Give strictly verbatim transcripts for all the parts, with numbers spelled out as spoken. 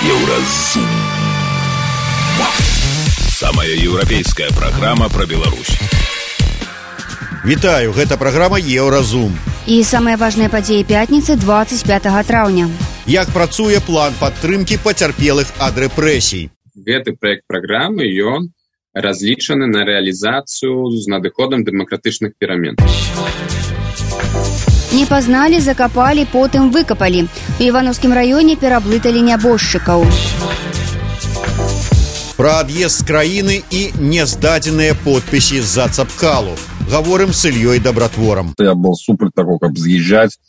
Еўразум. Самая еўрапейская праграма пра Беларусь. Вітаю, гэта праграма Еўразум. І самыя важныя падзеі пятніцы двадцать пятого траўня. Як працуе план падтрымкі пацярпелых ад рэпрэсій? Гэты праект праграмы, ён разлічаны на рэалізацыю з надыходам дэмакратычных перамен. Не пазналі, закапалі, потым выкапалі. У Івановскім раёне пераблыталі нябожчыкаў. Пра ад'езд з краіны і нездадзеныя подпісы з-за Цапкалу. Гаворым з Ільёй Дабратворам. Я был супер таго, каб з'язджаць,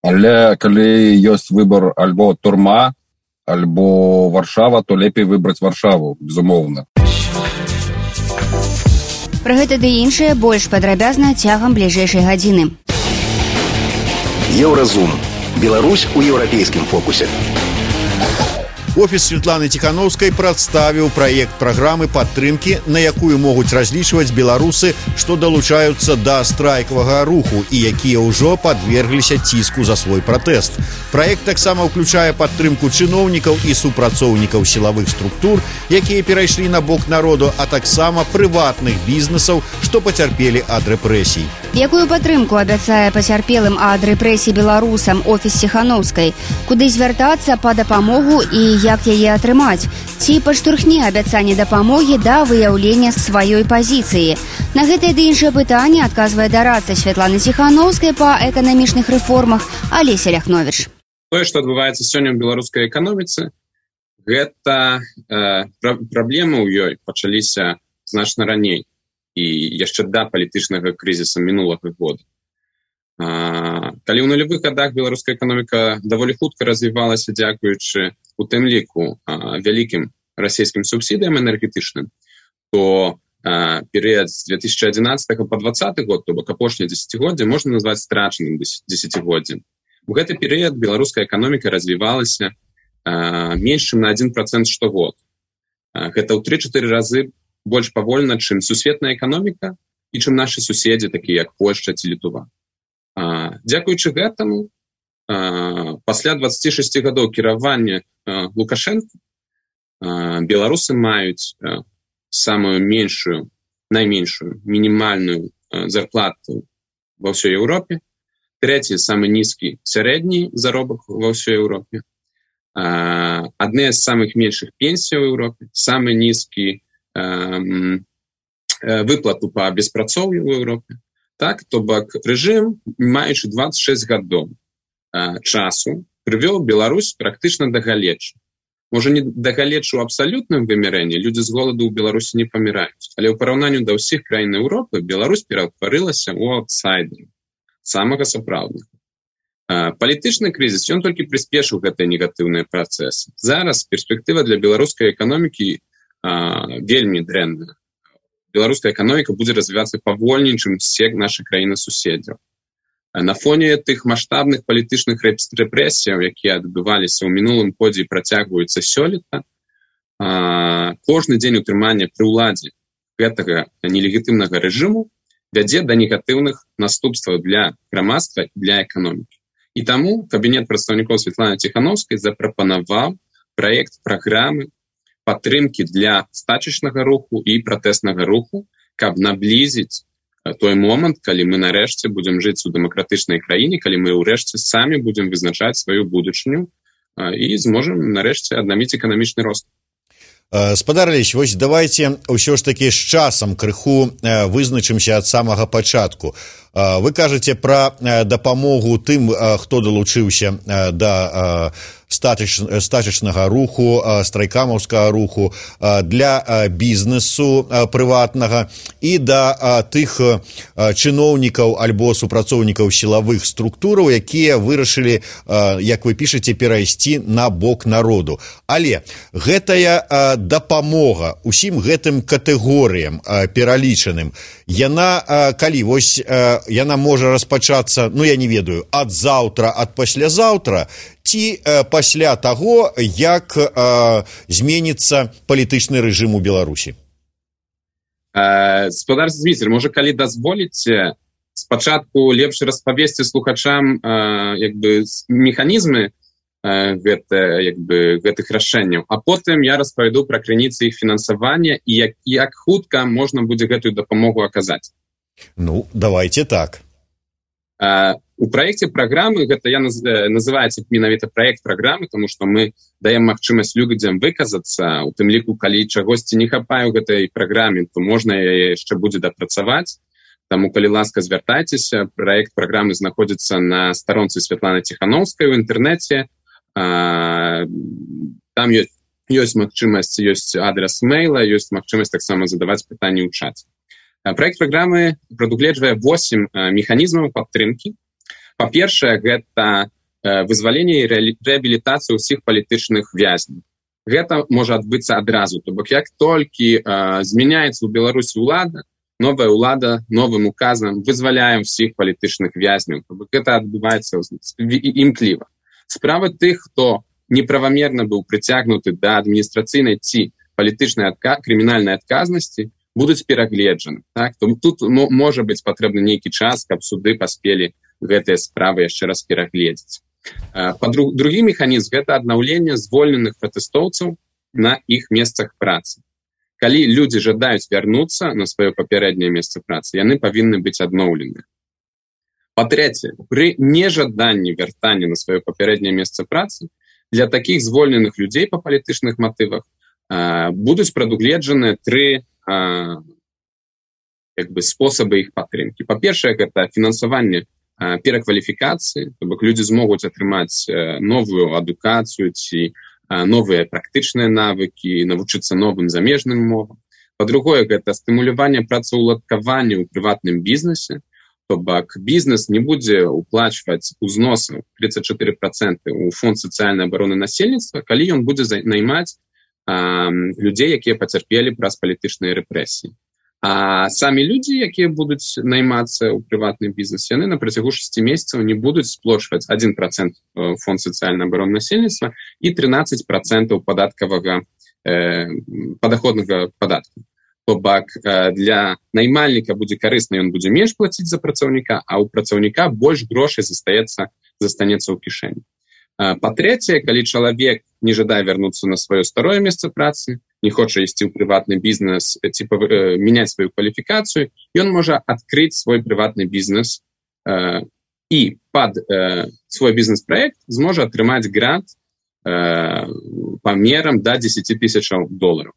але калі ёсць выбор альбо турма, альбо Варшава, то лепей выбраць Варшаву, безумоўна. Пра гэта ды іншае больш падрабязна цягам бліжэйшай гадзіны. Еўразум. Беларусь у еўрапейскім фокусе. Офіс Светланы Ціхановскай прадставіў праект праграмы падтрымкі, на якую могуць разлічваць беларусы, што далучаюцца да страйкавага руху і якія ўжо падвергліся ціску за свой пратэст. Праект таксама ўключае падтрымку чыноўнікаў і супрацоўнікаў сілавых структур, якія перайшлі на бок народу, а таксама прыватных бізнесаў, што пацярпелі ад рэпрэсій. Якую падтрымку абяцае пацярпелым ад рэпрэсій беларусам офіс Ціхановскай? Куды звяртацца па дапамогу і як яе атрымаць? Ці падштурхне абяцанне дапамогі да выяўлення сваёй пазіцыі? На гэтае ды іншае пытанне адказвае дарадца Светланы Ціхановскай па эканамічных рэформах Алеся Ляхновіч. Тое, што адбываецца сёння ў беларускай эканоміцы, гэта э, праблемы ў ёй пачаліся значна раней і яшчэ да палітычнага крызіса мінулага года. А, калі ў нулявых гадах беларуская эканоміка даволі хутка развівалася дзякуючы у тым ліку а, вялікім расійскім субсідыям энергетычным, то а, перыяд з две тысячи адзінаццатага па двадцаты год, то бок апошняе дзесяцігоддзе, можна назваць страчаным дзесяцігоддзем. У гэты перыяд беларуская эканоміка развівалася а, менш чым на адзін працэнт штогод. А, гэта ў тры-чатыры разы больш павольна, чым сусветная эканоміка і чым нашы суседзі, такія як Польшча ці Літва. А, дзякуючы гэтаму, а, пасля дваццаці шасці гадоў кіравання а, Лукашэнка а, беларусы маюць а, самую меншую, найменшую мінімальную а, зарплату ва ўсёй Еўропе, трэці самы нізкі сярэдні заробак ва ўсёй Еўропе, а, адны з самых меншых пенсій у Еўропе, самы нізкі а, выплату па беспрацоўю ў Еўропе. Так, то бок рэжым, маючы дваццаць шэсць гадоў а, часу, прывёў Беларусь практычна да галечы. Можа, не да галечы ў абсалютным вымярэнні, людзі з голаду ў Беларусі не паміраюць, але ў параўнанні да ўсіх краін Еўропы Беларусь ператварылася ў аўтсайдера, самага сапраўднага. А, палітычны крызіс, ён толькі прыспешыў гэтыя негатыўныя працэсы. Зараз перспектыва для беларускай эканомікі а, вельмі дрэнная. Беларуская эканоміка будзе развівацца павольней, чым усе нашы краіны-суседзяў. На фоне тых маштабных палітычных рэпрэсіяў, якія адбываліся ў мінулым годзе і працягваюцца сёлета, кожны дзень утрымання пры ўладзе гэтага нелегітымнага рэжыму вядзе да негатыўных наступстваў для грамадства і для эканомікі. І таму кабінет прадстаўнікоў Светланы Ціхановскай запрапанаваў праект праграмы падтрымкі для стачачнага руху і пратэснага руху, каб наблізіць той момант, калі мы нарэшце будзем жыць у дэмакратычнай краіне, калі мы ўрэшце самі будзем вызначаць сваю будучыню і зможам нарэшце аднавіць эканамічны рост. Спадар Алесь, вось давайце ўсё ж такі з часам крыху вызначымся ад самага пачатку. Вы кажаце пра дапамогу тым, хто далучыўся да стачачнага руху, страйкамаўскага руху, для бізнесу прыватнага і да тых чыноўнікаў альбо супрацоўнікаў сілавых структураў, якія вырашылі, як вы пішаце, перайсці на бок народу. Але гэтая дапамога усім гэтым катэгорыям пералічаным, яна, калі вось яна можа распачацца, ну я не ведаю, ад заўтра, ад паслязаўтра, ці э, пасля таго, як э, зменіцца палітычны рэжым у Беларусі? Э, Спадар Зміцер, можа, калі дазволіце, спачатку лепш распавесці слухачам э, як бы, механізмы гэта, як бы, гэтых рашэнняў. А потым я распавяду пра крыніцы іх фінансавання і як, як хутка можна будзе гэтую дапамогу аказаць. Ну, давайте так. У праекце праграмы, гэта я называецца менавіта праект праграмы, тому што мы даем магчымасць людзям выказацца, у тым ліку, калі чагосьці не хапае ў гэтай праграме, то можна яе яшчэ будзе дапрацаваць. Таму, калі ласка, звяртайцеся, праект праграмы знаходзіцца на старонцы Святланы Ціханаўскай у інтэрнэце. Там ёсць, ёсць магчымасць, ёсць адрес мейла, ёсць магчымасць таксама задаваць пытанні ў чаце. Праект праграмы прадугледжвае восем механізмаў падтрымкі. Па-першае, гэта вызваленне і рэабілітацыя ўсіх палітычных вязняў. Гэта можа адбыцца адразу. То бок, як толькі змяняецца ў Беларусі ўлада, новая ўлада новым указам вызваляе ўсіх палітычных вязняў. То бок, гэта адбываецца імкліва. Справа тых, хто неправамерна быў прыцягнуты да адміністрацыйнай ці палітычнай адка... крымінальнай адказнасці, будуць перагледжаны. Так? Тут можа быць патрэбны нейкі час, каб суды паспелі гэтыя справы яшчэ раз перагледзець. Па-друг... Другі механізм – гэта аднаўленне звольненых пратэстоўцаў на іх месцах працы. Калі людзі жадаюць вярнуцца на сваё папярэдняе месца працы, яны павінны быць адноўлены. Па-трэцяе, пры нежаданні вяртання на сваё папярэдняе месца працы для такіх звольненых людзей па палітычных матывах будуць прадугледжаны тры як бы, спосабы іх падтрымкі. Па-першае, гэта фінансаванне перакваліфікацыі, то бок людзі змогуць атрымаць новую адукацыю ці новыя практычныя навыкі, навучыцца новым замежным мовам. Па-другое, гэта стымуляванне працаўладкавання ў прыватным бізнесе, то бок бізнес не будзе уплачваць узносы тридцать четыре процента ў фонд сацыяльнай абароны насельніцтва, калі ён будзе наймаць людзей, якія пацярпелі праз палітычныя рэпрэсіі. А самі людзі, якія будуць наймацца ў прыватным бізнесе, яны на працягу шасці месяцаў не будуць сплочваць адзін процент фонд сацыяльнай абароны насельніцтва і трынаццаць процентаў падаткавага э, падаходнага падатку. То бок для наймальніка будзе карысна, ён будзе менш плаціць за працаўніка, а ў працаўніка больш грошай застаецца застанецца ў кішэні. Па-трэцяе, калі чалавек не жадае вярнуцца на сваё старое месца працы, не хоча ісці ў прыватны бізнес ці э, мяняць сваю кваліфікацыю, ён можа адкрыць свой прыватны бізнес э, і пад э, свой бізнес-праект зможа атрымаць грант э, памерам да дзесяць тысячаў долараў.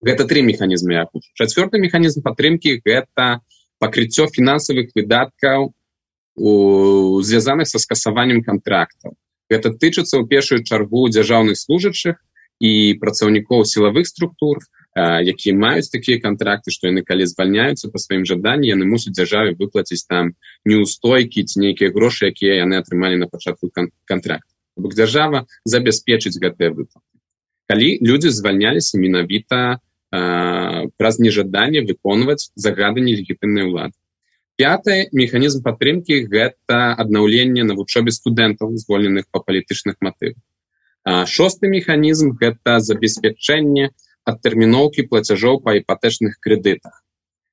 Гэта тры механізмы. Чацвёрты механізм падтрымкі – гэта пакрыццё фінансавых выдаткаў у звязаных са скасаваннем кантрактаў. Гэта тычыцца ў першую чаргу дзяржаўных служачых і працаўнікоў сілавых структур, якія маюць такія кантракты, што яны калі звальняюцца па сваім жаданні, яны мусяць дзяржаве выплаціць там неўстойкі ці нейкія грошы, якія яны атрымалі на пачатку кантракту. Бок дзяржава забяспечыць гэтыя выплаты. Калі людзі звальняліся менавіта праз нежаданне выконваць загады нелегітымнай улады. Пятый механізм падтрымкі – гэта аднаўленне на вучобе студэнтаў, звольненых па палітычных матывах. Шосты механізм – гэта забеспячэнне адтэрміноўкі плацяжоў па іпатэчных крэдытах.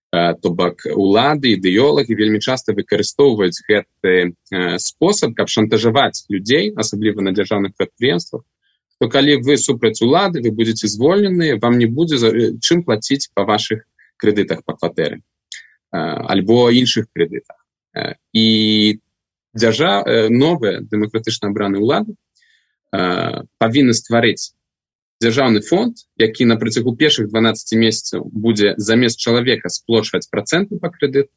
То бок улады, ідэолагі вельмі часта выкарыстоўваюць гэты спосаб, каб шантажаваць людзей, асабліва на дзяржаўных прадпрыемствах, то калі вы супраць улады, вы будзеце звольненыя, вам не будзе чым плаціць па вашых крэдытах па кватэры альбо іншых крэдытах. І дзяржа... новыя дэмакратычна абраныя ўлады павінны стварыць дзяржаўны фонд, які на працягу першых дванаццаці месяцаў будзе замест чалавека сплочваць працэнты па крэдыту,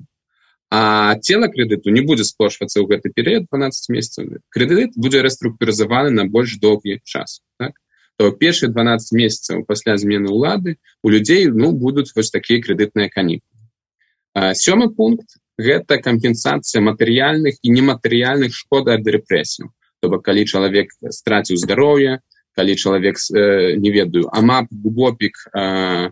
а цела крэдыту не будзе сплочвацца ў гэты перыяд дванаццаць месяцаў. Крэдыт будзе рэструктурызаваны на больш доўгі час. Так? То першыя дванаццаць месяцаў пасля змены ўлады у людзей ну, будуць вось такія крэдытныя канікулы. Сёмы пункт – гэта кампенсацыя матэрыяльных і нематэрыяльных шкод ад рэпрэсіяў. То бок, калі чалавек страціў здароўе, калі чалавек, э, не ведаю, амап, губопік, э,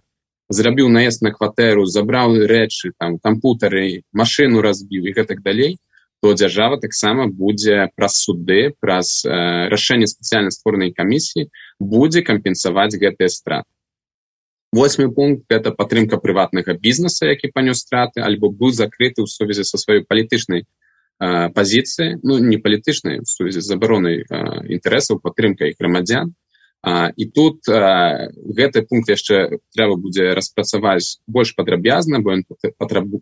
зрабіў наезд на кватэру, забраў рэчы, там, кампутары, машыну разбіў і гэтак далей, то дзяржава таксама будзе праз суды, праз э, рашэнне спецыяльна створанай камісіі, будзе кампенсаваць гэтыя страты. Восьмы пункт – гэта падтрымка прыватнага бізнеса, які панёс страты, альбо быў закрыты ў сувязі са сваёй палітычнай пазіцыі, ну, не палітычнай, в сувязі з забаронай інтарэсаў, падтрымкай грамадзян. І тут гэты пункт яшчэ трэба будзе распрацаваць больш падрабязна, бо ён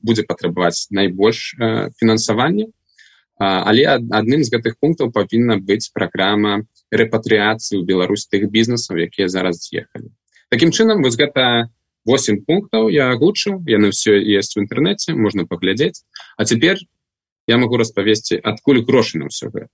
будзе патрабаваць найбольш фінансавання. Але адным з гэтых пунктаў павінна быць праграма рэпатрыяцыі ў Беларусь тых бізнесаў, якія зараз з'ехалі. Такім чынам, вось гэта восемь пунктаў я агучыў, яны ўсе ёсць у інтэрнэце, можна паглядзець. А цяпер я магу распавесці, адкуль грошы на ўсё гэта.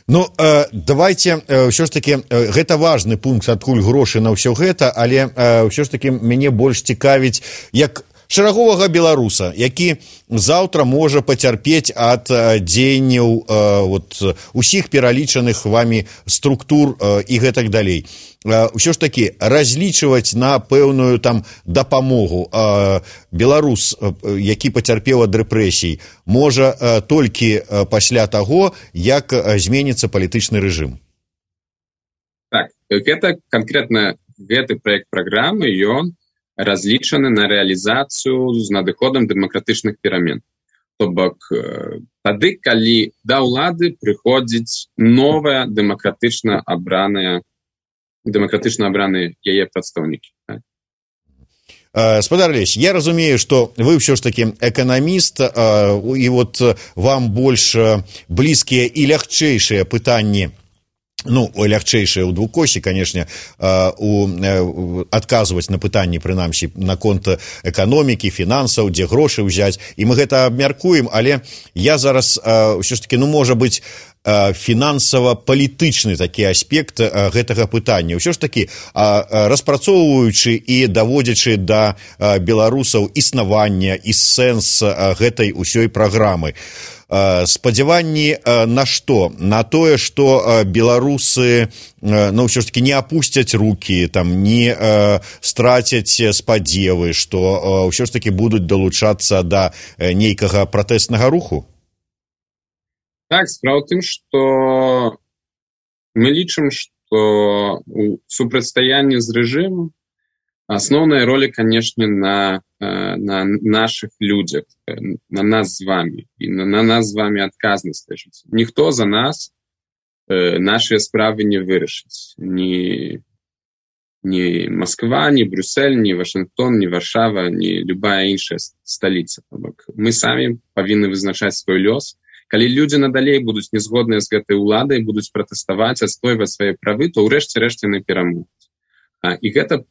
Ну, э, давайте, э, ўсё ж таки, э, гэта важны пункт, адкуль грошы на ўсё гэта, але э, ўсё ж таки мяне больш цікавіць, як шараговага беларуса, які заўтра можа пацярпець ад дзеянняў вот, усіх пералічаных вамі структур і гэтак далей. Усё ж такі разлічваць на пэўную там дапамогу беларус, які пацярпеў ад рэпрэсій, можа толькі пасля таго, як зменіцца палітычны рэжым. Так, гэта канкрэтна гэты праект праграмы, ён разлічаны на рэалізацыю з надыходам дэмакратычных перамен. То бок, тады, калі да ўлады прыходзіць новая дэмакратычна абраная, дэмакратычна абраныя яе прадстаўнікі. Спадар Алесь, я разумею, што вы ўсё ж такі эканаміст, і вот вам больш блізкія і лягчэйшыя пытанні, ну, лягчэйшае ў двукосці, канешне, адказваць на пытанні, прынамсі, наконт эканомікі, фінансаў, дзе грошы ўзяць, і мы гэта абмяркуем, але я зараз ўсё ж такі, ну, можа быць, фінансава-палітычны такі аспект гэтага пытання. Ўсё ж такі, распрацоўваючы і даводзячы да беларусаў існавання і сэнс гэтай усёй праграмы, спадзяванні на што? На тое, што беларусы, ну, ўсё ж такі не апусцяць рукі, там, не страцяць спадзевы, што ўсё ж такі будуць далучацца да нейкага пратэснага руху? Так, справа ў тым, што мы лічым, што у супрацьстаянні з рэжымам асноўная роля, канешне, на, на нашых людзях, на нас з вамі, і на, на нас з вамі адказнасць ляжыць. Ніхто за нас э, нашыя справы не вырашыць. Ні, ні Москва, ні Брюссель, ні Вашынгтон, ні Варшава, ні любая іншая сталіца. Мы самі павінны вызначаць свой лёс. Калі людзі надалей будуць незгодныя з гэтай уладай, будуць пратэставаць, адстойваць свае правы, то ўрэшце рэшце яны перамогуць. І гэта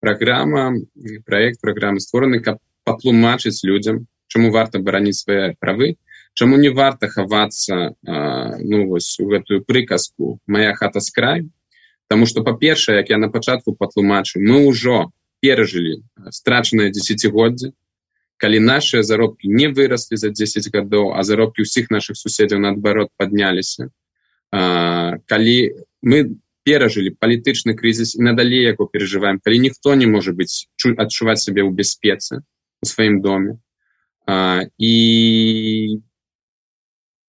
праграма, праект праграмы створаны, каб патлумачыць людзям, чаму варта бараніць свае правы, чаму не варта хавацца ну, вось, у гэтую прыказку «Мая хата з краю», таму што, па-першае, як я на пачатку патлумачу, мы ўжо перажылі страчанае дзесяцігоддзе, калі нашыя заробкі не выраслі за дзесяць гадоў, а заробкі ўсіх нашых суседзяў наадварот падняліся. Калі мы перажылі палітычны крызіс і надалей яго перажываем, калі ніхто не можа быць, адчуваць сябе ў бяспецы у сваім доме. І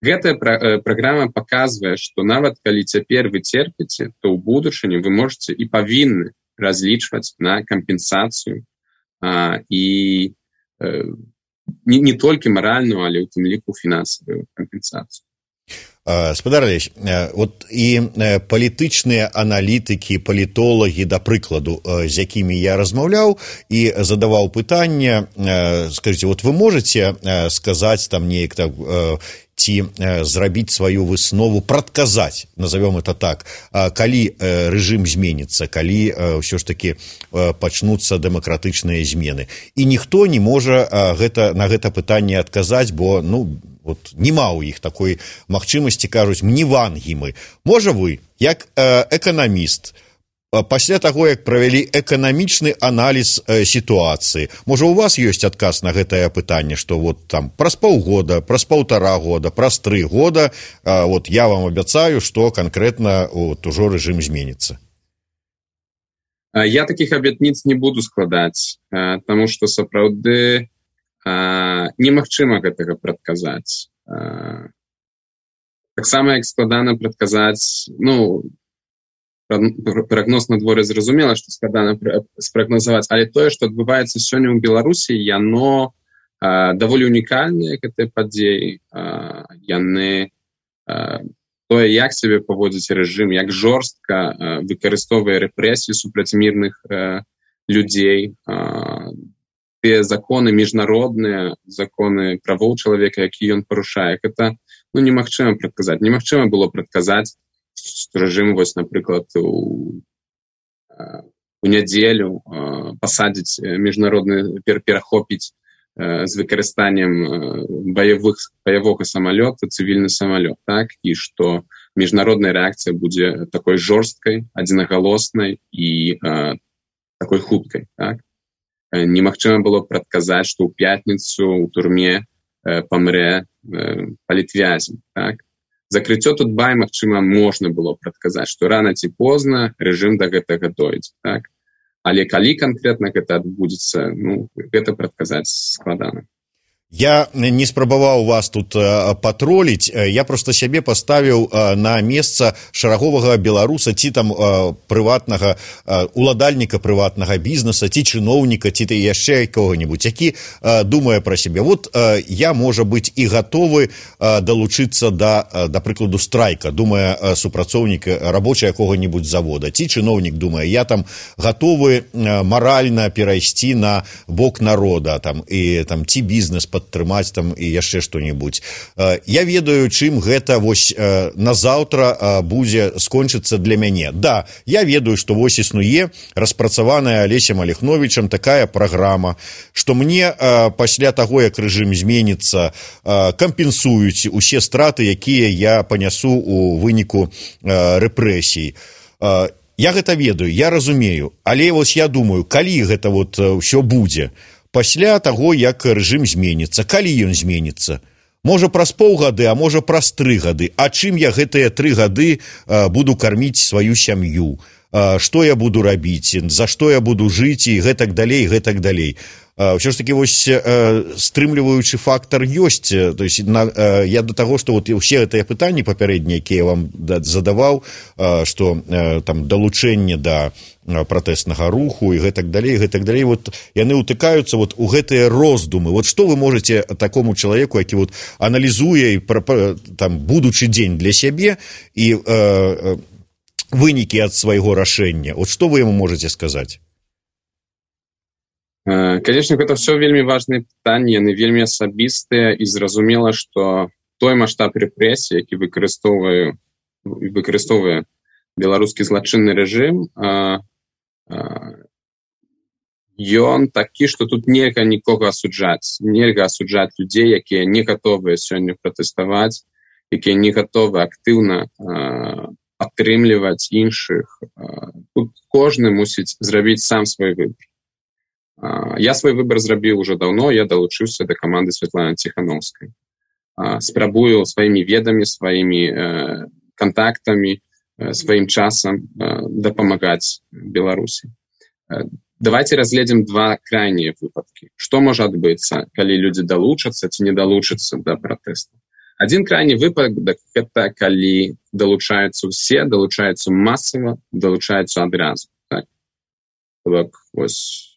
гэтая праграма паказвае, што нават калі цяпер вы церпіце, то ў будучыні вы можаце і павінны разлічваць на кампенсацыю і не, не толькі маральную, але ў тым ліку фінансавую кампенсацыю. Спадар Алесь, вот і палітычныя аналітыкі, палітолагі, да прыкладу, з якімі я размаўляў і задаваў пытанне, скажите, вот вы можете сказаць там неяк так, ці зрабіць сваю выснову, прадказаць, назовем это так, калі рэжым зменіцца, калі ўсё ж такі пачнуцца дэмакратычныя змены. І ніхто не можа гэта, на гэта пытанне адказаць, бо, ну, вот нема ў іх такой магчымасці, кажуць, мне вангі мы. Можа вы, як э, эканаміст, пасля таго, як правялі эканамічны аналіз э, сітуацыі, можа у вас ёсць адказ на гэтае пытанне, што вот там праз паўгода, праз паўтара года, праз тры года, э, вот я вам абяцаю, што канкрэтна вот, ужо рэжым зменіцца? Я такіх абетніц не буду складаць, таму што сапраўды немагчыма гэтага прадказаць. Таксама, як складана прадказаць, ну, прагноз на дворе зразумела, што складана спрагнозаваць, але тое, што адбываецца сёння ў Беларусі, яно даволі унікальныя гэтыя падзеі. Яны тое, як сябе паводзіць рэжым, як жорстка выкарыстоўвае рэпрэсіі супраць мірных людзей, тыя законы міжнародныя, законы правоў чалавека, які ён парушае. Гэта ну, немагчыма прадказаць. Немагчыма было прадказаць, што рэжым, вось, напрыклад, у, у нядзелю пасадзіць міжнародны, перахопіць з выкарыстаннем баявых, баявога самалёта цывільны самалёт, так? І што міжнародная рэакцыя будзе такой жорсткай, адзінагалоснай і э, такой хуткай, так? Немагчыма было прадказаць, што ў пятніцу ў турме э, памрэ э, палітвязень, так? Закрыццё Тутбай, магчыма, можна было прадказаць, што рана ці позна рэжым да гэтага дойдзе, так? Але калі канкрэтна гэта адбудзецца, ну, гэта прадказаць складана. Я не спрабаваў вас тут патроліць, я проста сябе паставіў на месца шараговага беларуса, ці там прыватнага, уладальніка прыватнага бізнеса, ці чыноўніка, ці ты яшчэ кого-нибудь, які думае пра сябе. Вот я, можа быць, і гатовы далучыцца да, да прыкладу, страйка, думае супрацоўнік рабочы якога-нибудь завода, ці чыноўнік думае, я там гатовы маральна перайсці на бок народа, там, і там, ці бізнес пад падтрымаць там і яшчэ што-небудзь. Я ведаю, чым гэта вось назаўтра будзе скончыцца для мяне. Да, я ведаю, што вось існуе распрацаваная Алесем Алехновічам такая праграма, што мне пасля таго, як рэжым зменіцца, кампенсуюць усе страты, якія я панясу у выніку рэпрэсій. Я гэта ведаю, я разумею, але вось я думаю, калі гэта вот ўсё будзе, пасля таго, як рэжым зменіцца, калі ён зменіцца? Можа, праз паўгады, а можа, праз тры гады. А чым я гэтыя тры гады а, буду карміць сваю сям'ю? А, што я буду рабіць? За што я буду жыць? І гэтак далей, гэтак далей. А, ўсё ж такі, вось, а, стрымліваючы фактар ёсць. То есть, на, а, я да таго, што вот усе гэтыя пытанні папярэднія, якія я вам задаваў, а, што а, там далучэнне да пратэснага руху і гэтак далей, гэтак далей, вот яны ўтыкаюцца вот у гэтыя роздумы. Вот што вы можаце такому чалавеку, які вот аналізуе там будучы дзень для сябе і э, вынікі ад свайго рашэння, вот што вы яму можаце сказаць? Конечно, гэта все вельмі важныя пытанні, яны вельмі асабістыя, і зразумела, што той маштаб рэпрэсій, які выкарыстоўвае выкарыстоўвае беларускі злачынны рэжым, ён такі, што тут нельга нікога асуджаць, нельга асуджаць людзей, якія не гатовыя сёння пратэставаць, якія не гатовы актыўна падтрымліваць іншых. Тут кожны мусіць зрабіць сам свой выбор. Я свой выбор зрабіў уже даўно, я далучыўся да каманды Святланы Ціханаўскай. Спрабую сваімі ведамі, сваімі кантактамі, сваім часам дапамагаць Беларусі. Давайте разгледзім два крайнія выпадкі. Што можа адбыцца, калі людзі далучацца ці не далучацца да пратэсту? Адзін крайні выпадак – гэта калі далучаюцца ўсе, далучаюцца масава, далучаюцца адразу. Так? Так, вось.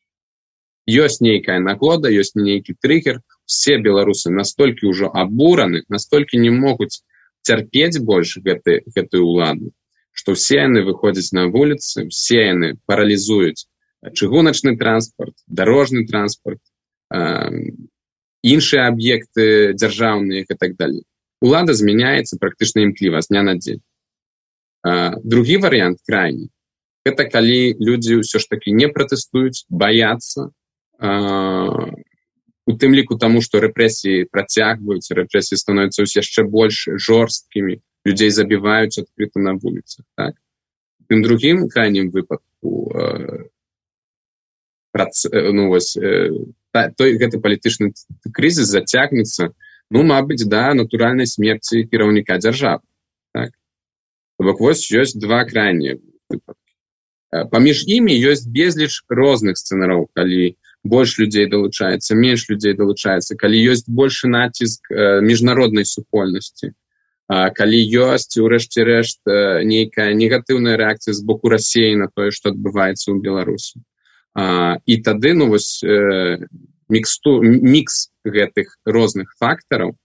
Ёсць нейкая нагода, ёсць нейкі трыгер, все беларусы настолькі ўжо абураны, настолькі не могуць цярпець больш гэты, гэтую ўладу, што ўсе яны выходзяць на вуліцы, все яны паралізуюць чыгуначны транспарт, дарожны транспарт, э, іншыя аб'екты дзяржаўныя і так далей. Улада змяняецца практычна імкліва з дня на дзень. Э, другі варыянт крайні – гэта калі людзі ўсё ж такі не пратэстуюць, баяцца, э, у тым ліку таму, што рэпрэсіі працягваюцца, рэпрэсіі становяцца яшчэ больш жорсткімі, людзей забіваюць адкрыта на вуліцах. Так? Тым другім крайнім выпадку э, прац, э, ну, вось, э, та, той гэты палітычны крызіс зацягнецца, ну, мабыць, да натуральнай смерці кіраўніка дзяржавы. Так? Бок вось ёсць два крайнія выпадкі. Э, паміж імі ёсць безліч розных сцэнараў, калі больш людзей далучаецца, менш людзей далучаецца, калі ёсць большы націск э, міжнароднай супольнасці, э, калі ёсць, урэшце рэшт, э, нейкая негатыўная рэакцыя з боку Расіі на тое, што адбываецца ў Беларусі. Э, і тады, ну, вось, э, міксту, мікс гэтых розных фактараў,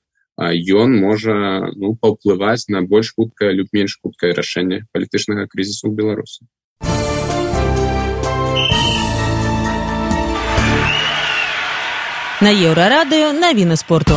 ён можа ну, паўплываць на больш хуткае, люб менш хуткае рашэнне палітычнага крызісу ў Беларусі. На Еўрарадыё навіны спорту.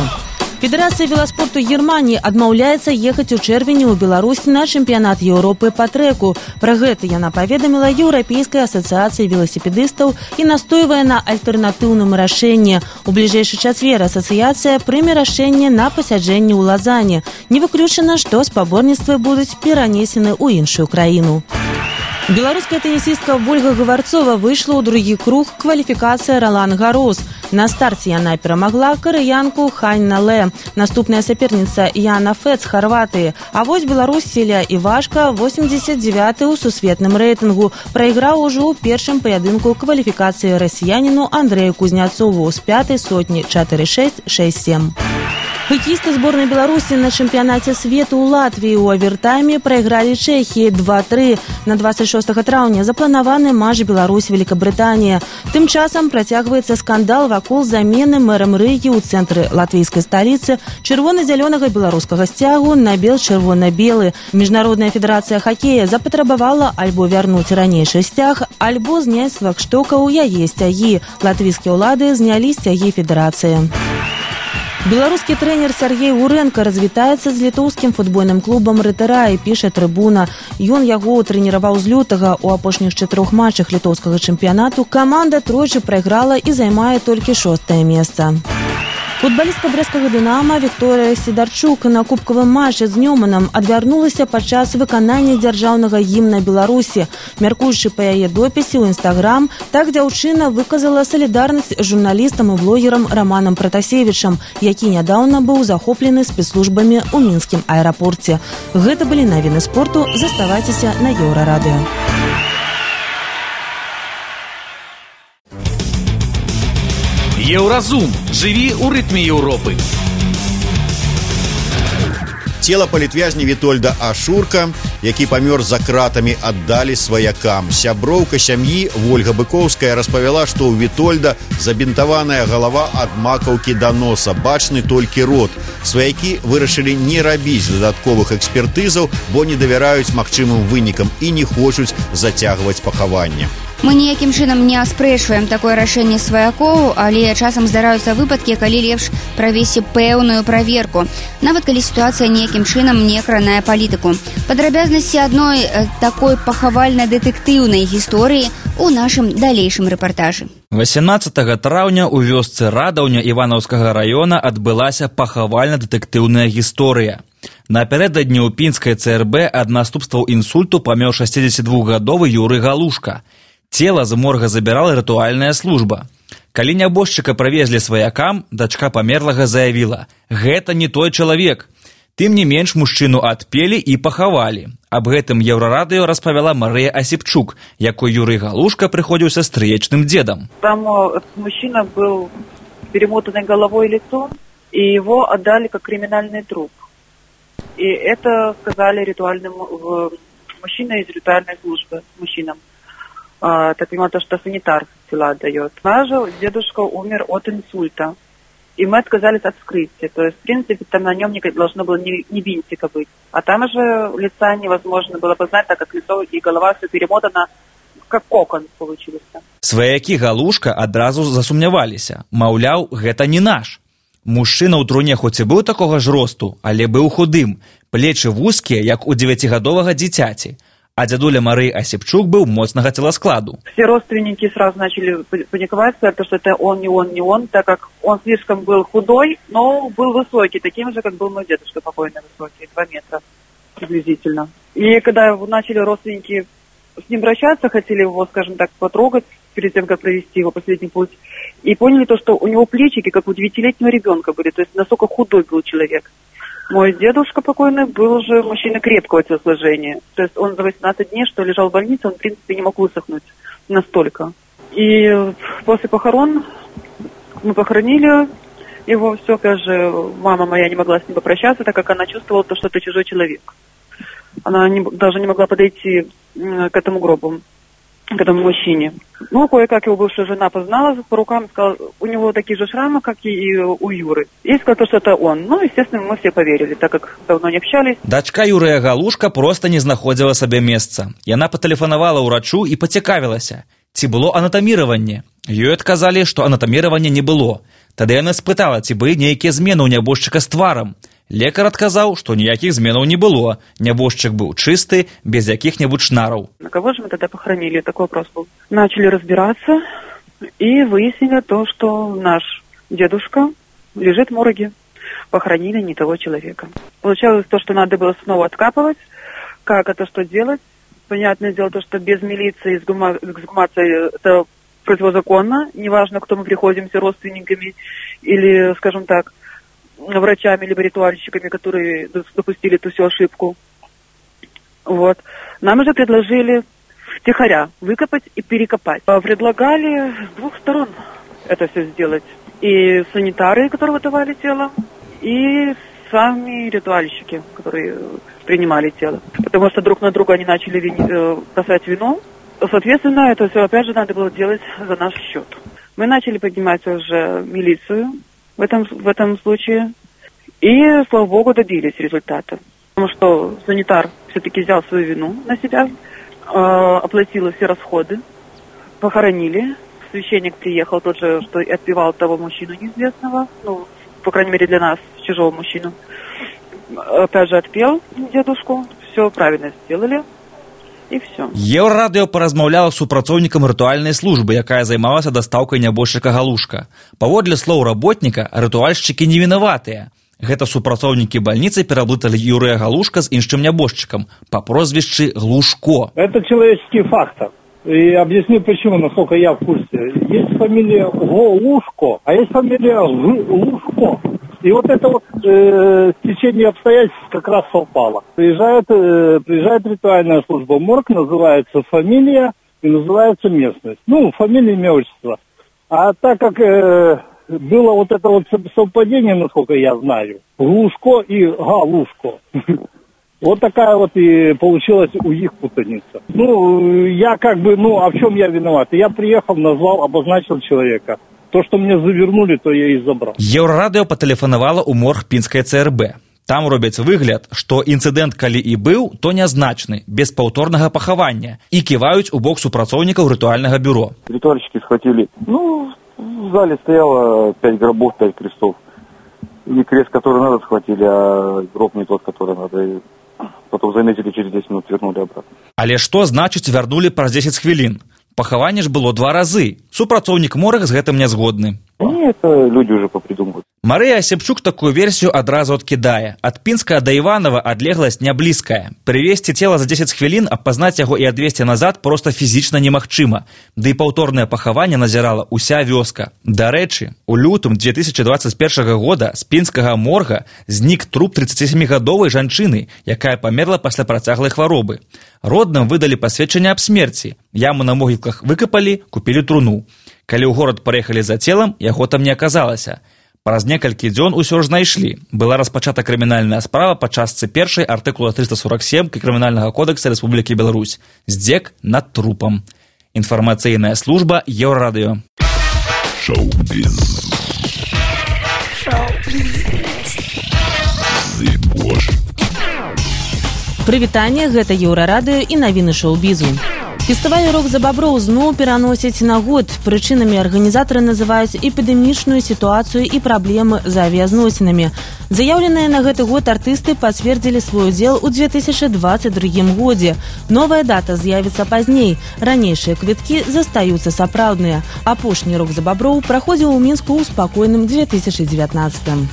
Федэрацыя веласпорту Германии адмаўляецца ехаць у чэрвені ў Беларусь на чэмпіянат Еўропы па трэку. Пра гэта яна паведаміла Еўрапейскай асацыяцыі веласіпедыстаў і настойвае на альтэрнатыўным рашэнні. У бліжэйшы чацвер асацыяцыя прыме рашэнне на пасяджэнні ў Лазане. Не выключана, што спаборніцтвы будуць перанесены ў іншую краіну. Беларуская тенісістка Вольга Гаварцова выйшла ў другі круг кваліфікацыі Ролан Гарос. На старце яна перамагла карыянку Хань Нале. Наступная саперніца Яна Фет з Харватыі. А вось Беларусь Селя Івашка, восемьдесят девяты ў сусветным рэйтынгу, прайграў ужо ў першым паядынку кваліфікацыі расіяніну Андрэю Кузняцову з пятай сотні чатыры шэсць шэсць сем. Хоккеісты зборнай Беларусі на чэмпіянаце свету ў Латвіі ў авертайме прайгралі Чэхіі два тры. На двадцать шостага траўня запланаваны матч Беларусь-Великабрытанія. Тым часам працягваецца скандал вакол замены мэрам Рыгі ў цэнтры латвійскай сталіцы чырвона-зялёнага беларускага сцягу на бел-чырвона-белы. Міжнародная федэрацыя хакея запатрабавала альбо вярнуць ранейшы сцяг, альбо зняць з флагштокаў яе сцягі. Латвійскія ўлады знялі сцягі федэрацыі. Беларускі трэнер Сергей Уренко развітаецца з літоўскім футбольным клубам Рытэрай, піша Трыбуна. Ён яго трэніраваў з лютага. У апошніх чатырох матчах літоўскага чэмпіянату каманда тройчы прайграла і займае толькі шостае месца. Футбалістка брэсцкага «Дынама» Вікторыя Сідарчук на кубкавым матчы з Нёманам адвярнулася падчас выканання дзяржаўнага гімна Беларусі. Мяркуючы па яе допісе ў Інстаграм, так дзяўчына выказала салідарнасць з журналістам і блогерам Раманам Пратасевічам, які нядаўна быў захоплены спецслужбамі ў мінскім аэрапорце. Гэта былі навіны спорту. Заставайцеся на Еўрарадыё. Еўразум. Жыві ў рытме Еўропы. Цела палітвязня Вітольда Ашурка, які памёр за кратамі, аддалі сваякам. Сяброўка сям'і Вольга Быкоўская распавяла, што ў Вітольда забінтаваная галава ад макаўкі да носа, бачны толькі рот. Сваякі вырашылі не рабіць дадатковых экспертызаў, бо не давяраюць магчымым вынікам і не хочуць зацягваць пахаванне. Мы ніякім чынам не аспрэчваем такое рашэнне сваякоў, але часам здараюцца выпадкі, калі лепш правесці пэўную праверку, нават калі сітуацыя ніякім чынам не кранае палітыку. Падрабязнасці адной такой пахавальна-дэтэктыўнай гісторыі у нашым далейшым рэпартажы. восемнадцатага траўня ў вёсцы Радаўня Іванаўскага раёна адбылася пахавальна-дэтэктыўная гісторыя. Напярэдадні ў пінскай ЦРБ ад наступстваў інсульту памёр шасцідзесятдвухгадовы Юрый Галушка. Цела з морга забірала рытуальная служба. Калі нябожчыка правезлі сваякам, дачка памерлага заявіла: «Гэта не той чалавек». Тым не менш мужчыну адпелі і пахавалі. Аб гэтым Еўрарадыё распавяла Марыя Асіпчук, якой Юрый Галушка прыходзіўся стрыечным дзедам. Там мужчина был перемотанный головой и лицом, и его отдали как криминальный труп. И это сказали ритуальным мужчина из ритуальной службы мужчинам. А, так понимаю, то, что санитар тела отдает. Наш дедушка умер от инсульта. И мы отказались от вскрытия. То есть, в принципе, там на нем не должно было ни, ни винтика быть. А там же лица невозможно было познать, так как лицо и голова все перемотано, как кокон получился. Сваякі Галушка адразу засумняваліся. Маўляў, гэта не наш. Мужчына ў труне хоць і быў такога ж росту, але быў худым. Плечы вузкія, як у дзевяцігадовага дзіцяці. А дядуля Марии Осипчук был моцнага телоскладу. Все родственники сразу начали паниковать, что это он, не он, не он, так как он слишком был худой, но был высокий, таким же, как был мой дедушка, покойный высокий, два метра приблизительно. И когда начали родственники с ним обращаться, хотели его, скажем так, потрогать перед тем, как провести его последний путь, и поняли то, что у него плечики, как у девятилетнего ребенка были, то есть настолько худой был человек. Мой дедушка покойный был уже мужчина крепкого телосложения. То есть он за восемнадцать дней, что лежал в больнице, он, в принципе, не мог высохнуть настолько. И после похорон мы похоронили его, все, даже мама моя не могла с ним попрощаться, так как она чувствовала, то, что это чужой человек. Она не, даже не могла подойти к этому гробу. к этому мужчине. Ну, кое-как его бывшая жена познала по рукам, сказала, у него такие же шрамы, как и у Юры. И сказала, что это он. Ну, естественно, мы все поверили, так как давно не общались. Дачка Юрыя Галушка просто не знаходзіла сабе месца. Яна патэлефанавала ўрачу і пацікавілася, ці было анатаміраванне. Ёй адказалі, што анатаміравання не было. Тады яна спытала, ці былі нейкія змены ў нябожчыка з тварам. Лекар адказаў, што ніякіх зменаў не было. Нябожчык быў чысты, без якіх-небудзь шнараў. На кого же мы тогда похоронили? Такой вопрос был. Начали разбираться и выяснили то, что наш дедушка лежит в морге. Похоронили не того человека. Получалось то, что надо было снова откапывать. Как это, что делать? Понятное дело, то, что без милиции эксгумация это противозаконно. Неважно, кто мы приходимся, родственниками или, скажем так, врачами либо ритуальщиками, которые допустили эту всю ошибку. Вот. Нам уже предложили втихаря выкопать и перекопать. Предлагали с двух сторон это все сделать. И санитары, которые выдавали тело, и сами ритуальщики, которые принимали тело. Потому что друг на друга они начали вини- бросать вину. Соответственно, это все опять же надо было делать за наш счет. Мы начали поднимать уже милицию в этом, в этом случае. И, слава богу, добились результата. Потому что санитар все-таки взял свою вину на себя, э, оплатил все расходы, похоронили. Священник приехал тот же, что и отпевал того мужчину неизвестного, ну, по крайней мере для нас, чужого мужчину. Опять же отпел дедушку, все правильно сделали. І все. Еўрарадыё паразмаўляла з супрацоўнікам рытуальнай службы, якая займалася дастаўкай нябожчыка Галушка. Паводле слоў работніка, рытуальшчыкі не вінаватыя. Гэта супрацоўнікі бальніцы пераблыталі Юрыя Галушка з іншым нябожчыкам па прозвішчы Глушко. Это человеческий фактор. И объясню почему, насколько я в курсе. Есть фамилия Голушко, а есть фамилия Глушко. И вот это вот э, течение обстоятельств как раз совпало. Приезжает, э, приезжает ритуальная служба, морг, называется фамилия и называется местность. Ну, фамилия, имя, отчество. А так как э, было вот это вот совпадение, насколько я знаю, Глушко и Галушко. Вот такая вот и получилась у них путаница. Ну, я как бы, ну, а в чем я виноват? Я приехал, назвал, обозначил человека. То, что мне завернули, то я и забрал. Еўрарадыё патэлефанавала ў морг пінскай ЦРБ. Там робяць выгляд, што інцыдэнт калі і быў, то нязначны, без паўторнага пахавання, і ківаюць у бок супрацоўнікаў ритуальнага бюро. Ритуальщики схватили. Ну, в зале стояло пять гробов, пять крестов. Не крест, который надо, схватили, а гроб не тот, который надо. И потом заметили, через десять минут вернули обратно. Але што значыць вярнули праз дзесяць хвілін? Пахаванне ж было два разы. Супрацоўнік морга з гэтым не згодны. Не, это люди уже попридумывают. Марыя Асепчук такую версію адразу адкідае. Ад Пінска да Іванова адлегласць не блізкая. Прывезці цела за дзесяць хвілін, а пазнаць яго і адвезці назад проста фізічна немагчыма. Ды і паўторнае пахаванне назірала ўся вёска. Дарэчы, у лютым две тысячи двадцать первого года з пінскага морга знік труп тридцатисемігадовай жанчыны, якая памерла пасля працяглай хваробы. Родным выдалі пасведчанне аб смерці. Яму на могілках выкапалі, купілі труну. Калі ў горад парэхалі за целам, яго там не аказалася. Праз некалькі дзён усё ж знайшлі. Была распачата крымінальная справа па частцы першай артыкула триста сорок семь крымінальнага кодекса Рэспублікі Беларусь. Здзек над трупам. Інфармацыйная служба Еўрарадыё. Шоу-біз. Шоу-біз. Прывітанне, гэта Еўрарадыё і навіны шоу-бізу. Фестываль «Рок за боброў» зноў пераносяць на год. Прычынамі арганізатары называюць эпідэмічную сітуацыю і праблемы з авіязносінамі. Заяўленыя на гэты год артысты пацвердзілі свой удзел у две тысячи двадцать другім годзе. Новая дата з'явіцца пазней. Ранейшыя квіткі застаюцца сапраўдныя. Апошні «Рок за боброў» праходзіў у Мінску ў спакойным две тысячи девятнадцатым.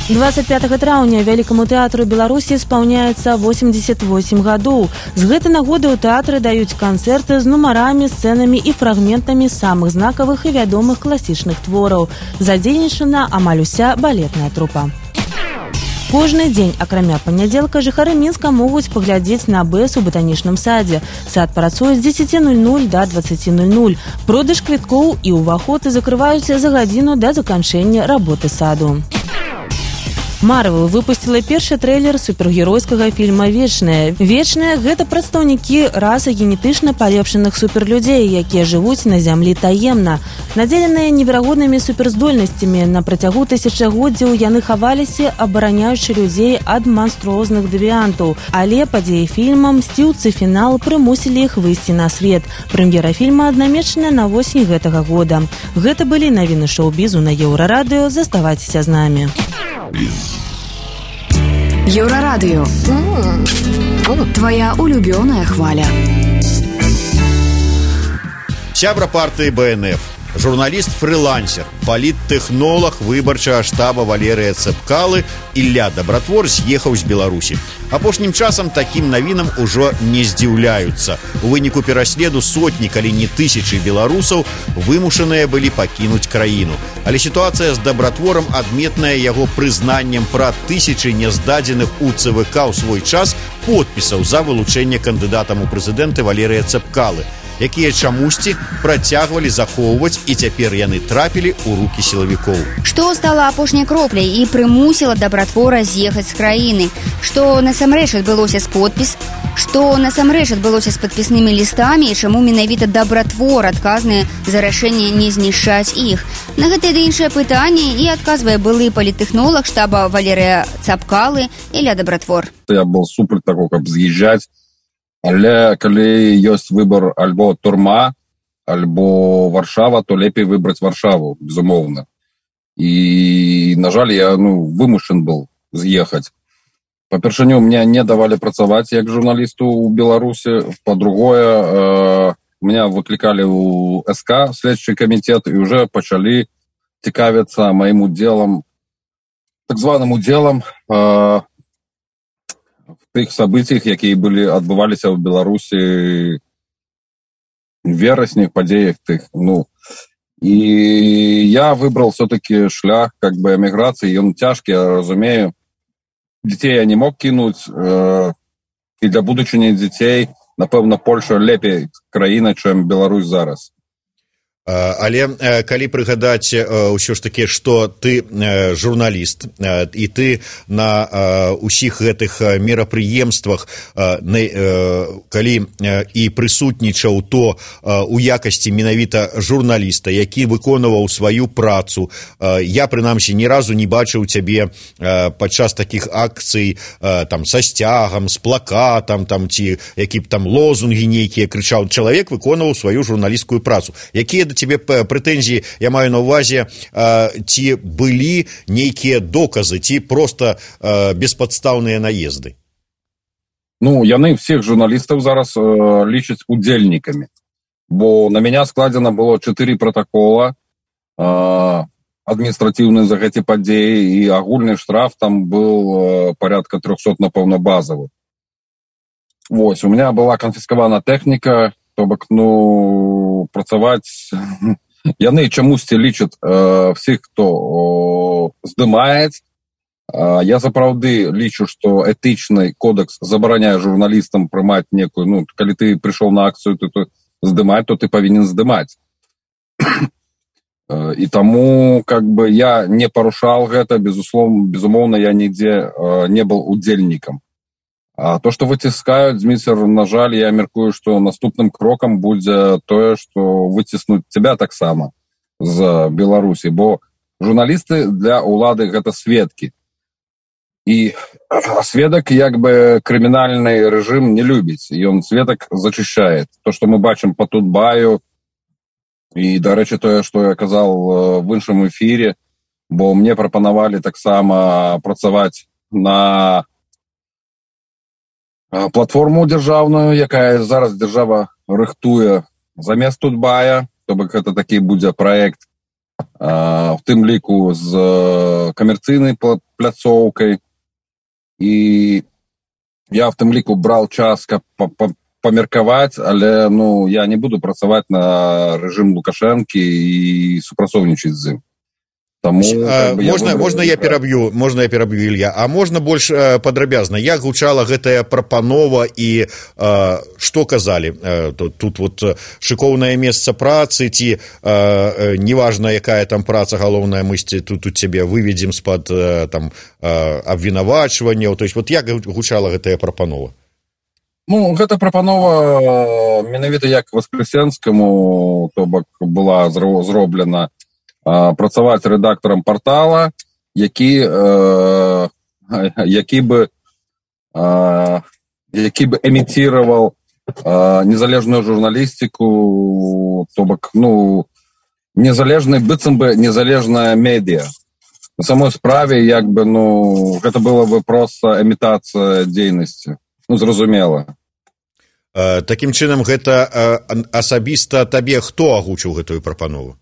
двадцать пятого траўня Вялікаму тэатру Беларусі спаўняецца восемьдесят восемь гадоў. З гэтай нагоды ў тэатры даюць канцэрты з нумарамі, сцэнамі і фрагментамі самых знакавых і вядомых класічных твораў. Задзейнічана амаль уся балетная трупа. Кожны дзень, акрамя панядзелка, жыхары Мінска могуць паглядзець на БЭС у батанічным садзе. Сад працуе з дзесяці ноль-ноль да двадцаці ноль-ноль. Продаж квіткоў і ўваход закрываюцца за гадзіну да заканчэння работы саду. Marvel выпусціла першы трэйлер супергеройскага фільма «Вечныя». «Вечныя» — гэта прадстаўнікі расы генетычна палепшаных суперлюдзей, якія жывуць на зямлі таемна. Надзеленыя неверагоднымі суперздольнасцямі, на працягу тысячагоддзяў яны хаваліся, абараняючы людзей ад манструозных дэвіантаў. Але падзеі фільма «Мсціўцы. Фінал» прымусілі іх выйсці на свет. Прэм'ера фільма аднамечаная на восень гэтага года. Гэта былі навіны шоу-бізу на Еўрарадыё. Заставайцеся з намі. Еўрарадыё. Твоя улюбёная хваля. Сябра партыі бэ эн эф, журналіст-фрылансер, паліттэхнолаг выбарчага штаба Валерыя Цэпкалы Ілля Дабратвор з'ехаў з Беларусі. Апошнім часам такім навінам ужо не здзіўляюцца. У выніку пераследу сотні, калі не тысячы беларусаў вымушаныя былі пакінуць краіну. Але сітуацыя з Дабратворам адметная яго прызнаннем пра тысячы няздадзеных у цэ вэ ка ў свой час подпісаў за вылучэнне кандыдатам у прэзідэнты Валерыя Цэпкалы, якія чамусьці працягвалі захоўваць, і цяпер яны трапілі ў рукі сілавікоў. Што стала апошняй кропляй і прымусіла Дабратвора з'ехаць з краіны? Што насамрэч адбылося з подпіс? Што насамрэч адбылося з падпіснымі лістамі і чаму менавіта Дабратвор адказны за рашэнне не знішчаць іх? На гэтыя ды іншыя пытанні і адказвае былы паліттэхнолаг штаба Валерыя Цэпкалы Ілля Дабратвор. Я быў супер таго, каб з'язджаць. Але калі ёсць выбор альбо турма, альбо Варшава, то лепей выбраць Варшаву, безумоўна. І, на жаль, я ну, вымушан быў з'ехаць. Па-першыню, мне не давалі працаваць як журналісту ў Беларусі. Па-другое, э, меня выклікалі ў эс ка, следчий камітет, і ўжо пачалі цікавіцца маім удзелам, так званым удзелам, э, тых событиях, якія былі адбываліся ў Беларусі верасні, падзеях тых, ну. І я выбрал все-таки шлях как бы эміграцыі, ён цяжкі, я разумею. Дзяцей я не мог кінуць, э, і для будучыні дзяцей, напэўна, Польша лепей краіна, чым Беларусь зараз. Але калі прыгадаць ўсё ж такі, што ты журналіст і ты на ўсіх гэтых мерапрыемствах калі і прысутнічаў, то у якасці менавіта журналіста, які выконваў сваю працу, я прынамсі ні разу не бачыў цябе падчас такіх акцый там са сцягам, з плакатам там, ці які б там лозунгі нейкія крычаў. Чалавек выконваў сваю журналісцкую працу. Якія тебе прэтэнзіі, я маю на ўвазе, ці былі нейкія доказы, ці проста беспадстаўныя наезды? Ну, яны всіх журналістаў зараз э, лічаць удзельнікамі, бо на мяне складзена было чатыры протакола э, адміністратыўны за гэты падзеі, і агульны штраф там был э, порядка трёхсот, напэўна, базавы. Вось, у меня была канфіскавана тэхніка, то бок, ну, працаваць... Яны чамусьці лічаць э, всіх, хто э, здымаюць. Э, я сапраўды лічу, што этычны кодекс забараняе журналістам прымаць некую, ну, калі ты прыйшоў на акцыю, то, то здымаць, то ты павінен здымаць. э, і таму, как бы, я не парушаў гэта, безусловно, безумоўна, я нідзе э, не быў удзельнікам. А то, што выціскаюць, Зміцер, на жаль, я меркую, што наступным крокам будзе тое, што выціснуць цябе таксама з Беларусі, бо журналісты для ўлады гэта сведкі. І сведак, як бы, крымінальны рэжым не любіць, ён сведак зачышчае. То, што мы бачым па Тутбаю, і, дарэчы, тое, што я казаў в іншым эфірі, бо мне прапанавалі таксама працаваць на платформу дзяржаўную, якая зараз дзяржава рыхтуе замест Тутбая, то бок гэта такі будзе праект, в тым ліку з камерцыйнай пляцоўкай. І я в тым ліку браў час, каб памеркаваць, але ну, я не буду працаваць на рэжым Лукашэнкі і супрацоўнічаць з ім. Таму, а, бы, можна, я можна я пераб'ю, можна я пераб'ю, Ілья, а можна больш а, падрабязна, як гучала гэтая прапанова і а, што казалі? А, тут, тут вот шыкоўнае месца працы, ці а, неважна, якая там праца галоўная, мы тут у цябе выведзем з-пад там абвінавачванняў, то есть вот як гучала гэтая прапанова? Ну, гэта прапанова менавіта як Воскресенскаму, то бок была зроблена працаваць рэдактарам партала, які, э, які бы э, які бы эміціраваў э, незалежную журналістыку, то бок, ну, незалежны, быццам бы незалежная медыа. На самой справе, як бы, ну, гэта была бы проста эмітацыя дзейнасці. Ну, зразумела. Э, такім чынам, гэта э, асабіста табе хто агучыў гэтую прапанову?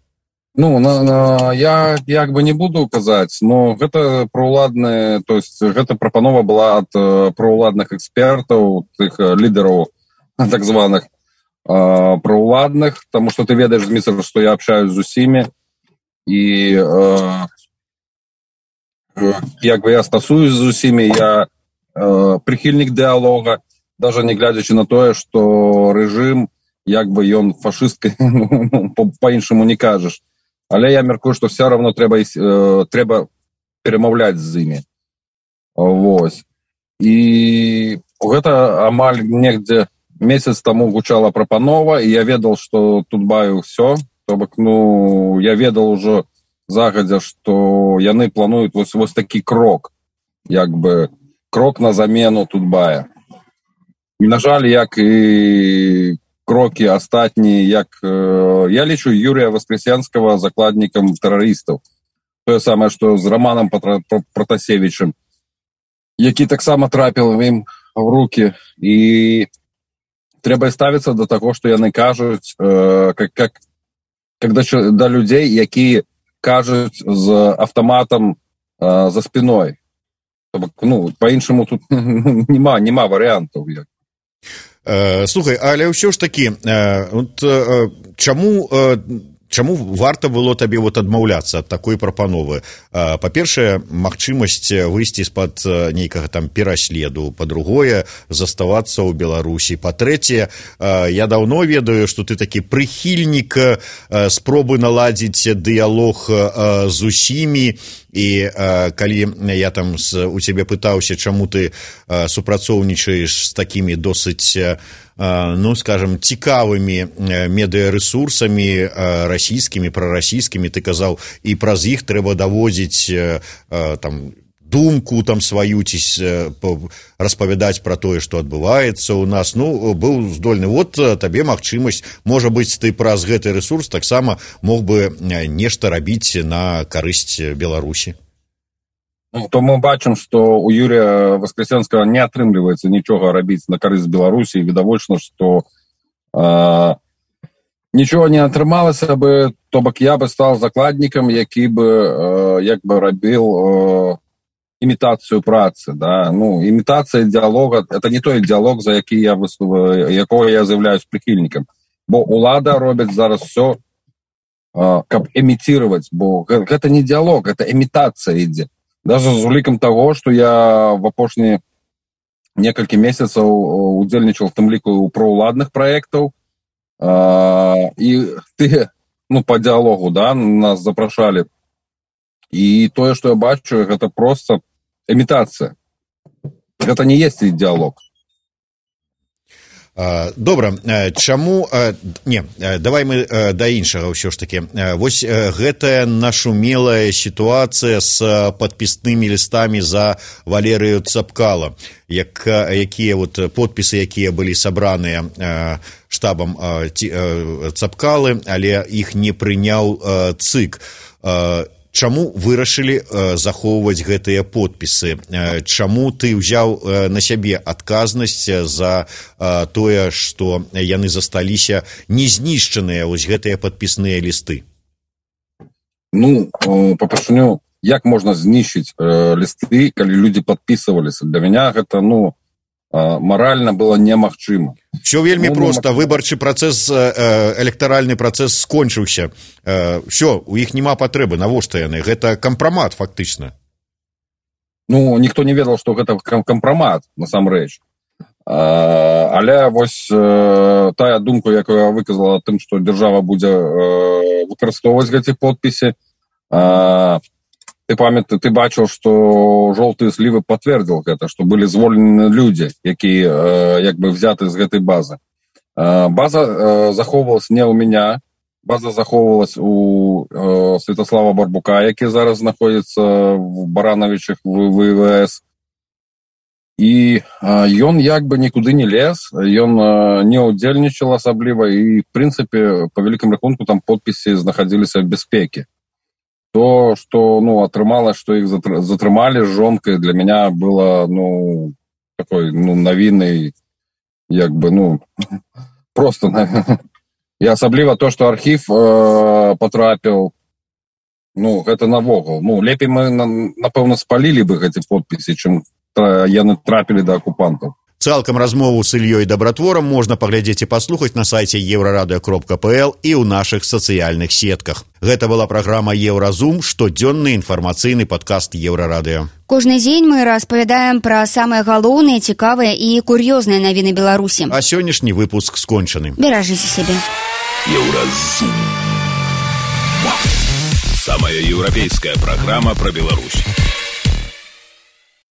Ну, на, на, я як бы не буду казаць, но гэта праўладная, то есть гэта прапанова была ад э, праўладных экспертаў, тых э, лідараў так званых э, праўладных, таму што ты ведаеш, Зміцер, што я общаюсь з усімі, і э, э, як бы я стасуюсь з усімі, я э, прыхільнік дыалога, даже не глядзячы на тое, што рэжым, як бы ён фашысткай, па-іншаму не кажаш. Але я мяркую, што все равно трэба, э, трэба перамаўляць з імі. Вось. І гэта амаль негдзе месяц таму гучала прапанова, і я ведал, што тут баю ўсё. То бок, ну, я ведал ужо загадзя, што яны плануюць вось, вось такі крок, як бы крок на замену Тутбая. І, на жаль, як і крокі астатнія, як э, я лічу Юрія Воскресенскага закладнікам тэрарыстаў. Тое самае, што з Романом Протасевичем, які таксама трапіў ім в руки. І трэба ставіцца да таго, што яны кажуць, э, как, как, когда да людзей, якія кажуць з автоматам э, за спиной. Ну, па-іншаму тут нема, нема варыянтаў. Э, слухай, але ўсё ж такі, э, вот, э, чаму, э, чаму варта было табе вот адмаўляцца ад такой прапановы? Э, па-першае, магчымасць выйсці з-пад нейкага там пераследу, па-другое, заставацца ў Беларусі. Па-трэцяе, э, я даўно ведаю, што ты такі прыхільнік э, спробы наладзіць дыялог э, з усімі. І э, калі я там з, у цябе пытаўся, чаму ты э, супрацоўнічаеш з такімі досыць, э, ну, скажем, цікавымі медыярэсурсамі э, расійскімі, прарасійскімі, ты казаў, і праз іх трэба даводзіць э, э, там думку там сваю, ці э, распавядаць пра тое, што адбываецца ў нас. Ну, быў здольны. Вот табе магчымасць, можа быць, ты праз гэты рэсурс таксама мог бы нешта рабіць на карысць Беларусі. Ну, то мы бачым, што у Юрія Воскресенскага не атрымліваецца нічога рабіць на карысць Беларусі, і відавочна, што э, нічога не атрымалася бы, то бок я бы стал закладнікам, які бы э, як бы рабіў э, імітацыю працы, да, ну, імітацыя дыалога, это не той дыалог, за які я выступаю, якого я з'яўляюсь прыхільнікам, бо улада робіць зараз все, каб эмітировать, бо гэта не дыалог, это імітацыя ідзе. Даже з улікам того, што я в апошнія некалькі месяцаў удзельнічаў в тым ліку у праўладных праектаў, і ты, ну, по дыалогу, да, нас запрашалі. І тое, што я бачу, гэта проста імітацыя. Гэта не есть дыалог. Добра, чаму... Не, давай мы да іншага ўсё ж такі. Вось гэтая нашумелая сітуацыя з падпіснымі лістамі за Валерыю Цапкала, як, якія вот подпісы, якія былі сабраныя штабам Цапкалы, але іх не прыняў ЦИК. Чаму вырашылі э, захоўваць гэтыя подпісы? Э, чаму ты ўзяў э, на сябе адказнасць за э, тое, што яны засталіся незнішчаныя, вось гэтыя падпісныя лісты? Ну, э, па-першыню, як можна знішчыць э, лісты, калі людзі падпісываліся? Для мяне гэта, ну, морально было немагчыма. Все вельмі ну, проста, выбарчы працэс, электаральны працэс скончыўся. Все, у іх няма патрэбы, навошта яны? Гэта кампрамат, фактычна. Ну, ніхто не ведаў, што гэта кампрамат, насамрэч. Але вось тая думка, якую я выказала тым, што дзяржава будзе выкарыстоўваць гэты подпісы, ты памятаеш, ты бачыў, што жоўтыя слівы пацвердзіл гэта, што былі звольнены людзі, якія як бы взяты з гэтай базы. База захоўвалась не ў мяне, база захоўвалась у Святослава Барбука, які зараз знаходзіцца в Барановичах в ВВС. І ён як бы нікуды не лез, ён не ўдзельнічаў асабліва, і в прынцыпе, па вялікім рахунку, там подпісы знаходзіліся в бяспекі. То, что, ну, атрымалось, что их затрымали с жонкой, для меня было, ну, такой, ну, новинной, як бы, ну, просто, и особливо то, что архив э, потрапил, ну, это навогул. Ну, лепей мы, напевно, спалили бы эти подписи, чем яны трапили до оккупантов. Цалкам размову с Ильей Добротвором можно поглядеть и послухать на сайте еврорадио кропка пл и у наших социальных сетках. Гэта была программа Евразум, штодзённы информацыйны подкаст Еврорадио. Кожны дзень мы распавядаем пра самыя галоўныя, цікавыя і кур'ёзныя навіны Беларусі. А сённяшні выпуск скончаны. Беражыце сябе. Евразум. Самая европейская программа про Беларусь.